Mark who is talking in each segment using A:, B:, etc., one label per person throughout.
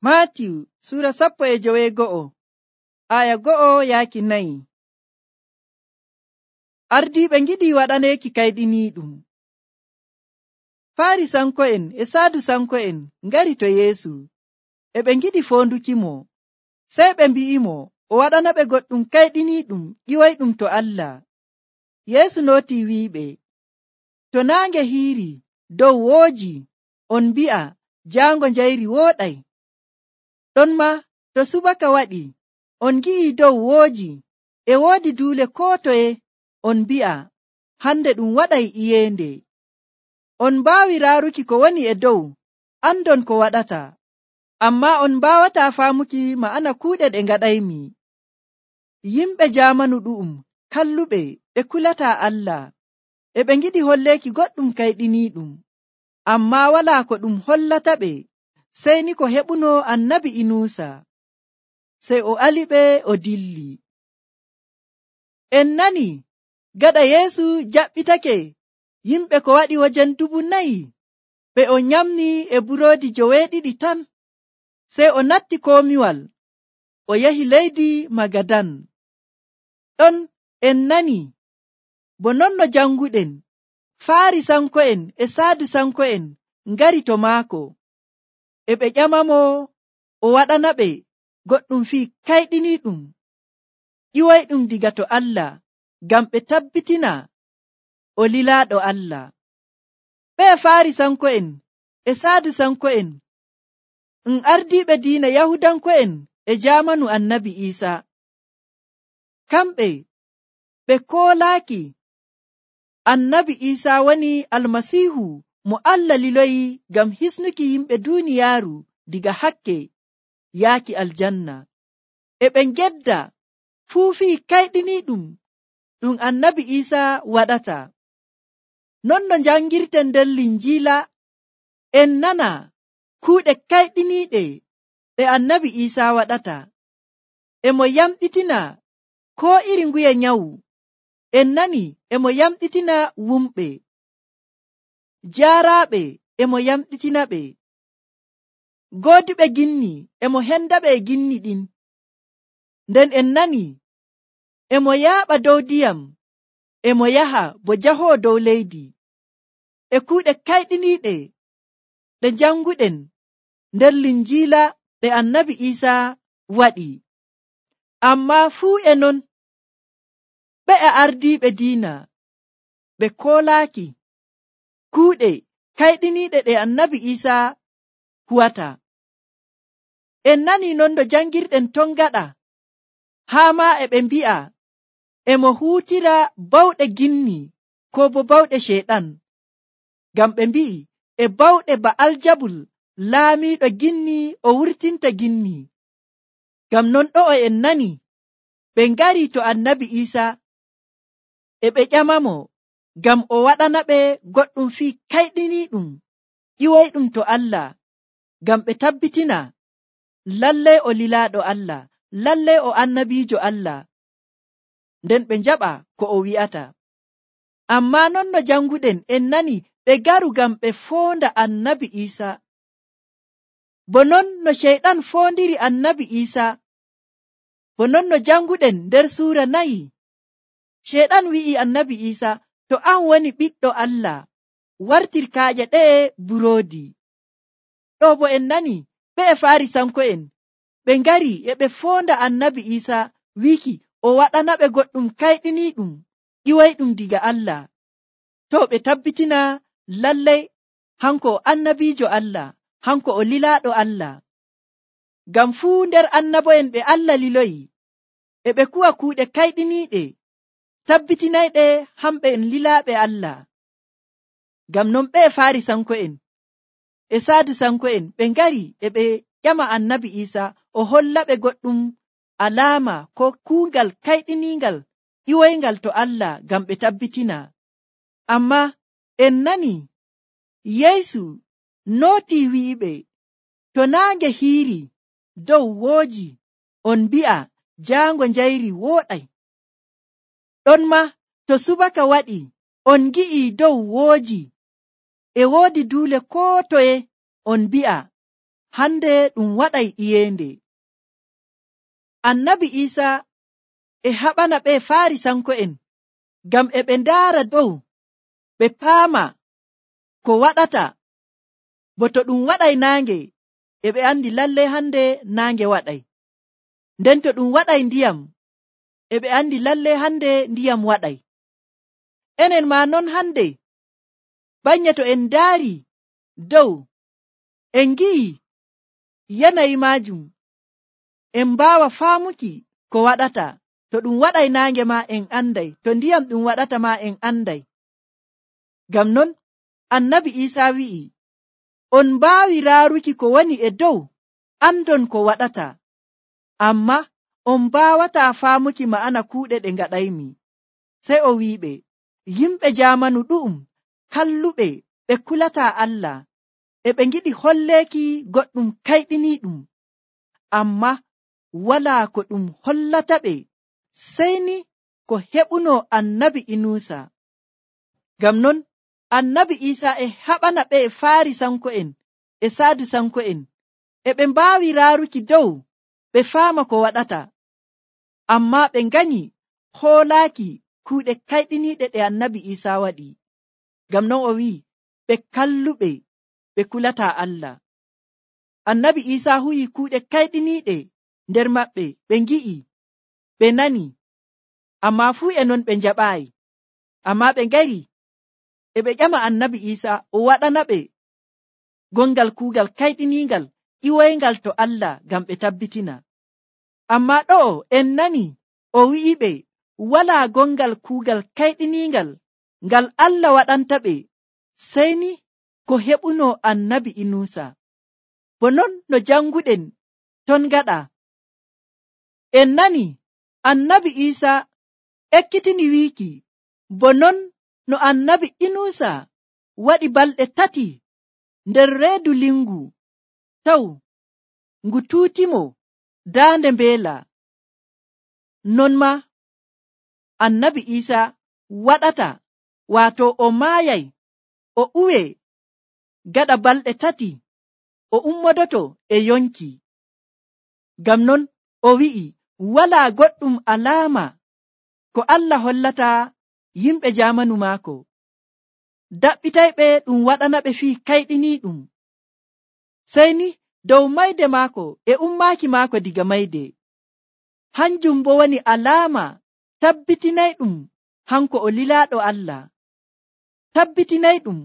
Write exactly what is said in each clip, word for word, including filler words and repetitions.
A: Maatiyu Sura sappo e joweego'o aya go'o yaaki nayi. Ardiiɓe ngiɗi waɗaneeki kayɗiniiɗum. Faarisanko'en e Saadusanko'en ngari to Yeesu, e ɓe ngiɗi foondukimo. Sey ɓe mbi'imo o waɗanaɓe goɗɗum kayɗiniiɗum ƴiwoyɗum to Allah. Yeesu nootii wi'iɓe, to naange hiiri dow wooji, on mbi'a jaango njayri wooɗay. Ɗonma to subaka waɗi, on ngi'i dow wooji, e woodi duule koo toye, on mbi'a hande ɗum waɗay iyeende. On mbaawi raaruki ko woni e dow, andon ko waɗata, ammaa on mbaawataa faamuki ma'ana kuuɗe ɗe ngaɗaymi. Yimɓe jaamanu ɗu'um kalluɓe ɓe kulataa Allah, e ɓe ngiɗi holleeki goɗɗum kayɗiniiɗum, ammaa walaa ko ɗum hollataɓe sey ni ko heɓuno annabi Inuusa. Sey o aliɓe o dilli. En nani gaɗa Yeesu jaɓɓitake yimɓe ko waɗi wajen dubu nayi ɓe o nyamni e buroodi joweeɗiɗi tan. Sey o natti komiwal o yahi leydi Magadan. Ɗon en nani bo non no janguɗen Faarisanko'en e Saadusanko'en ngari to maako, e ɓe ƴamamo o waɗanaɓe goɗɗum fii kayɗiniiɗum ƴiwoyɗum diga to Allah, ngam ɓe tabbitina o lilaaɗo Allah. Ɓe Faarisanko'en e Saadusanko'en en ardiiɓe diina Yahudanko'en e jaamanu annabi Iisaa. Kamɓe ɓe koolaaki annabi Iisaa woni Almasiihu mo Allah liloyi ngam hisnuki yimɓe duuniyaaru diga hakke yaaki aljanna. E ɓe ngedda fuu fii kayɗiniiɗum ɗum annabi Iisaa waɗata. Non no njangirten nder Linjiila, en nana kuuɗe kayɗiniiɗe ɗe annabi Iisaa waɗata. E mo yamɗitina koo iri nguye nyawu. En nani e mo yamɗitina wumɓe. Jaaraaɓe e mo yamɗitinaɓe. Gooduɓe ginni e mo hendaɓe e ginni ɗin. Nden en nani e mo yaaɓa dow ndiyam, e mo yaha bo jahoowo dow leydi. E kuuɗe kayɗiniiɗe ɗe janguɗen nder Linjiila ɗe annabi Iisaa waɗi. Ammaa fuu e non, ɓe ardiiɓe diina ɓe koolaaki kuuɗe kayɗiniiɗe ɗe annabi Iisaa huwata. En nani non no jangirɗen ton gaɗa, haa maa e ɓe mbi'a e mo huutira bawɗe ginni koo bo bawɗe Ceyɗan, ngam ɓe mbi'i e bawɗe Ba'aljabul laamiiɗo ginni o wurtinta ginni. Ngam non ɗo'o en nani ɓe ngari to annabi Iisaa e ɓe ƴamamo ngam o waɗanaɓe goɗɗum fii kayɗiniiɗum ƴiwoyɗum to Allah, ngam ɓe tabbitina lallay o lilaaɗo Allah, lallay o annabiijo Allah, nden ɓe njaɓa ko o wi'ata. Ammaa non no janguɗen en nani ɓe garu ngam ɓe foonda annabi Iisaa, bo non no Ceyɗan foondiri annabi Iisaa, bo non no janguɗen nder suura nayi. Ceyɗan wi'i annabi Iisaa, to an woni ɓiɗɗo Allah, wartir kaaƴe ɗe'e buroodi. Ɗo bo en nani ɓe Faarisanko'en ɓe ngari e ɓe foonda annabi Iisaa wiki o waɗanaɓe goɗɗum kayɗiniiɗum ƴiwoyɗum diga Allah, to ɓe tabbitina lallay hanko o annabiijo Allah, hanko o lilaaɗo Allah. Ngam fuu nder annabo'en ɓe Allah liloyi e ɓe kuwa kuuɗe kayɗiniiɗe tabbitinayɗe hamɓe en lilaaɓe Allah. Ngam non ɓe Faarisanko'en e Saadusanko'en ɓe ngari e ɓe ƴama annabi Iisaa o hollaɓe goɗɗum alaama ko kuugal kayɗiniingal ƴiwoyngal to Allah ngam ɓe tabbitina. Ammaa en nani Yeesu nootii wi'iɓe, to naange hiiri dow wooji, on mbi'a jaango njayri wooɗay. Ɗonma to subaka waɗi, on ngi'i dow wooji, e woodi duule koo toye, on mbi'a hande ɗum waɗay iyende. Annabi Isa e haɓana ɓe Farisanko'en ngam e ɓe ndaara dow ɓe paama ko waɗata, bo to ɗum waɗay naange e ɓe andi lalle hande naange waɗay, nden to ɗum waɗay ndiyam e ɓe andi lalle hande ndiyam waɗay. Enen ma non hande, banye to en ndaari dow en gi'i yanayi majum, en mbaawa faamuki ko waɗata. To ɗum waɗay naange ma en anday, to ndiyam ɗum waɗata ma en anday. Ngam non Annabi Isa wi'i, on mbaawi raaruki ko woni e dow, andon ko waɗata, amma on mbaawata faamuki ma'ana kuuɗe ɗe ngaɗaymi. Sey o wi'iɓe, yimɓe jaamanu ɗu'um kalluɓe ɓe kulata Allah, e ɓe ngiɗi holleeki goɗɗum kayɗiniiɗum, amma walaa ko ɗum hollata ɓe sey ni ko heɓuno annabi Inusa. Ngam non Annabi Isa e haɓana ɓe Farisanko'en e Sadusanko'en, e ɓe mbaawi raaruki dow ɓe faama ko waɗata, amma ɓe nganyi hoolaaki kuuɗe kayɗiniiɗe ɗe Annabi Isa waɗi. Ngam non o wi'i ɓe kalluɓe ɓe kulata Allah. Annabi Isa huyi kuuɗe kayɗiniiɗe nder maɓɓe, ɓe ngi'i, ɓe nani, amma fuu e non ɓe njaɓaayi. Amma ɓe ngari e ɓe ƴama Annabi Isa o waɗana ɓe gongal kuugal kayɗiniingal ƴiwoyngal to Allah ngam ɓe tabbitina. Amma ɗo'o en nani o wi'iɓe walaa gongal kuugal kayɗiniingal ngal Allah waɗanta ɓe sey ni ko heɓuno Annabi Inusa. Bo non no janguɗen ton gaɗa, en nani Annabi Isa ekkitini wiiki, bo non no Annabi Inusa waɗi balɗe tati nder reedu lingu taw ngu tuutimo daande mbeela, non ma Annabi Isa waɗata, waato o maayay o uwe gaɗa balɗe tati o ummodoto e yonki. Ngam non o wi'i walaa goɗɗum alaama ko Allah hollata yimɓe jaamanu maako, daɓɓitayɓe ɗum waɗana ɓe fii kayɗiniiɗum, sey ni dow mayde maako e ummaaki maako diga mayde. Hanjum bo woni alaama tabbitinayɗum hanko o lilaaɗo Allah, tabbitinayɗum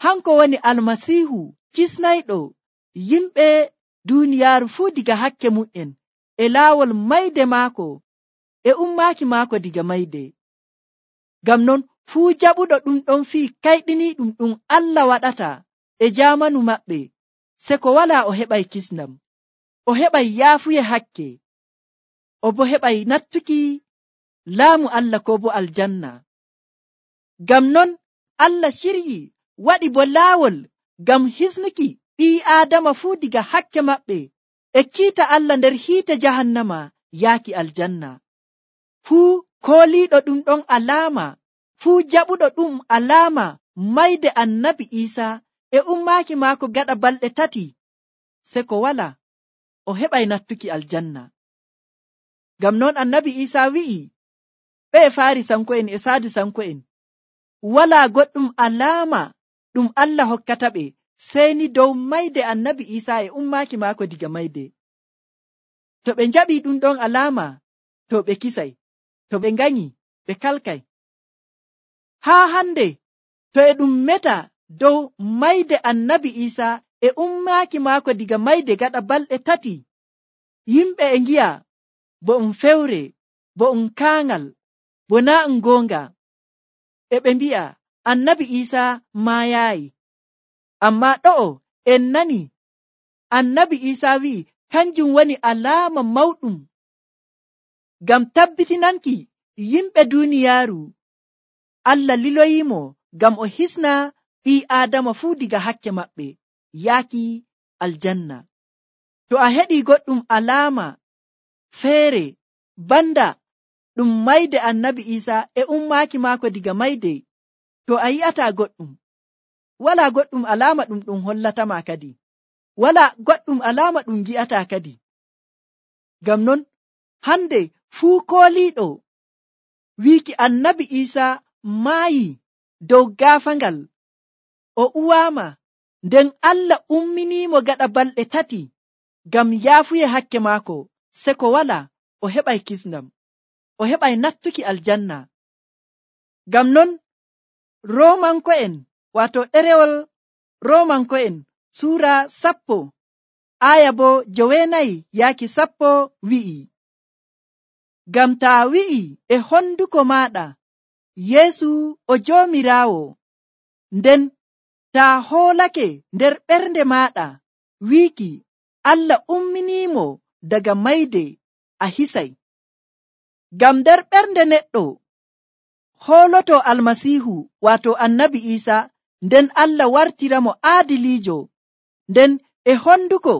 A: hanko woni Almasiihu kisnayɗo yimɓe duuniyaaru fuu diga hakke mu'en e laawol mayde maako e ummaaki maako diga mayde. Ngam non fuu jaɓuɗo ɗum ɗon fii kayɗiniiɗum ɗum Allah waɗata e jaamanu maɓɓe, se ko walaa o heɓay kisnam, o heɓay yaafuye hakke, o bo heɓay nattuki laamu Allah ko bo aljanna. Ngam non Allah ciryi waɗi bo laawol ngam hisnuki ɓii Aadama fuu diga hakke maɓɓe e kiita Allah nder hiite jahannama yaaki aljanna. Fuu kooliiɗo ɗum ɗon alaama, fuu jaɓuɗo ɗum alaama mayde Annabi Isa e ummaaki maako gaɗa balɗe tati, se ko wala o heɓay nattuki aljanna. Ngam non Annabi Isa wi'i ɓe Farisanko'en e Sadusanko'en, walaa goɗɗum alaama ɗum Allah hokkata ɓe sey ni dow mayde Annabi Isa e ummaaki maako diga mayde. To ɓe njaɓi ɗum ɗon alaama, to ɓe kisay, to ɓe nganyi ɓe kalkay. Haa hande to e ɗum meta dow mayde Annabi Isa e ummaaki maako diga mayde gaɗa balɗe tati, yimɓe e ngi'a bo um fewre, bo um kaangal, bo naa um goonga, e ɓe mbi'a Annabi Isa maayaayi. Amma ɗo'o en nani Annabi Isa wi'i kanjum woni alaama mawɗum ngam tabbitinanki yimɓe duuniyaaru Allah liloyimo ngam o hisna ɓii Aadama fuu diga hakke maɓɓe yaaki aljanna. To a heɗi goɗɗum alaama feere banda ɗum mayde Annabi Isa e ummaaki maako diga mayde, to a yi'ata goɗɗum, wala goɗɗum alaama ɗum ɗum hollatama kadi. wala goɗɗum alama ɗum gi'ata kadi. Ngam non hande fuu kooliiɗo wiiki annabi Iisa maayi dow gaafangal, o uwaama, nden Allah umminiimo gaɗa balɗe tati ngam yaafuye hakke maako, se ko wala o heɓay kisndam, o heɓay nattuki aljanna. Ngam non Roomanko'en, waato ɗerewol Roomanko'en suura sappo aya bo joweenayi yaaki sappo wi'i, ngam taa wi'i e honduko maaɗa Yeesu o Joomiraawo, nden taa hoolake nder ɓernde maaɗa wiiki Allah umminiimo daga mayde, a hisay. Ngam nder ɓernde neɗɗo hooloto Almasiihu waato annabi Iisa, nden Allah wartiramo aadiliijo, nden e honduko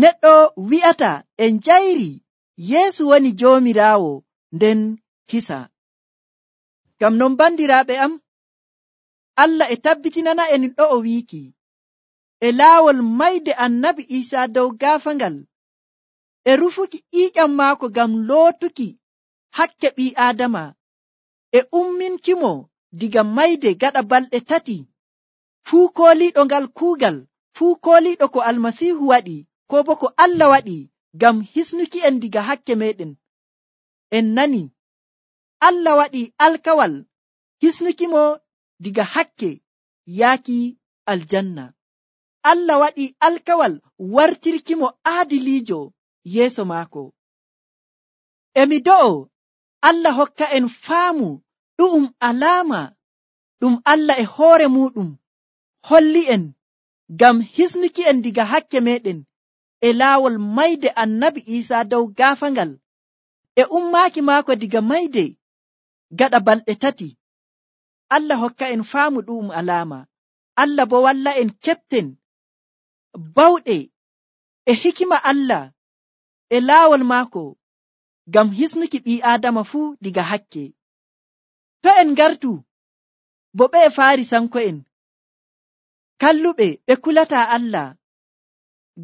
A: neɗɗo wi'ata en njayri Yeesu woni Joomiraawo, nden hisa. Ngam non bandiraaɓe am, Allah e tabbitinana en ɗo'o wiiki e laawol mayde annabi Iisa dow gaafangal, e rufuki ƴiiƴam maako ngam lootuki hakke ɓii Aadama, e umminkimo diga mayde gaɗa balɗe tati. Fuu kooliiɗo ngal kuugal, fuu kooliiɗo ko Almasiihu waɗi, ko bo ko Allah waɗi ngam hisnuki en diga hakke meɗen. En nani Allah waɗi alkawal hisnukimo diga hakke yaaki aljanna. Allah waɗi alkawal wartirkimo aadiliijo yeeso maako. Emi do'o Allah hokka en faamu ɗu'um alaama ɗum Allah e hoore muɗum holli en ngam hisnuki en diga hakke meɗen e laawol mayde annabi Iisa dow gaafangal, e ummaaki maako diga mayde gaɗa balɗe tati. Allah hokka en faamu ɗu'um alaama. Allah bo walla en keɓten bawɗe e hikima Allah e laawol maako ngam hisnuki ɓii Aadama fuu diga hakke. To en ngartu bo ɓe Faarisanko'en kalluɓe ɓe kulata Allah,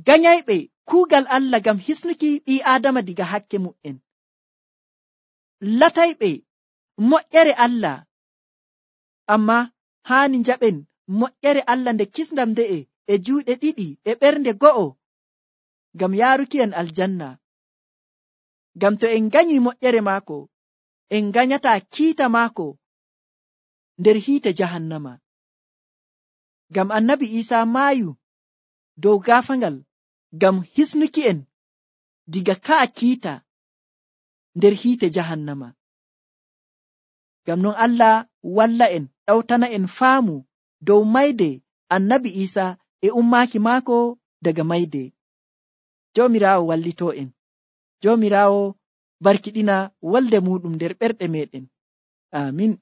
A: ganyayɓe kuugal Allah ngam hisnuki ɓii Aadama diga hakke mu'en, latayɓe moƴƴere Allah, amma haani njaɓen moƴƴere Allah nde kisndam nde'e e juuɗe ɗiɗi e ɓernde go'o ngam yaaruki en aljanna. Ngam to en ganyi moƴƴere maako, en ganyata kiita maako nder hiite jahannama. Ngam annabi Iisa maayu dow gaafangal ngam hisnuki en diga ka'a kiita nder hiite jahannama. Ngam non Allah walla en, ɗawtana en faamu dow mayde annabi Iisa e ummaaki maako daga mayde. Joomiraawo wallito en. Joomiraawo barkiɗina wolde muɗum nder ɓerɗe meɗen. Amin.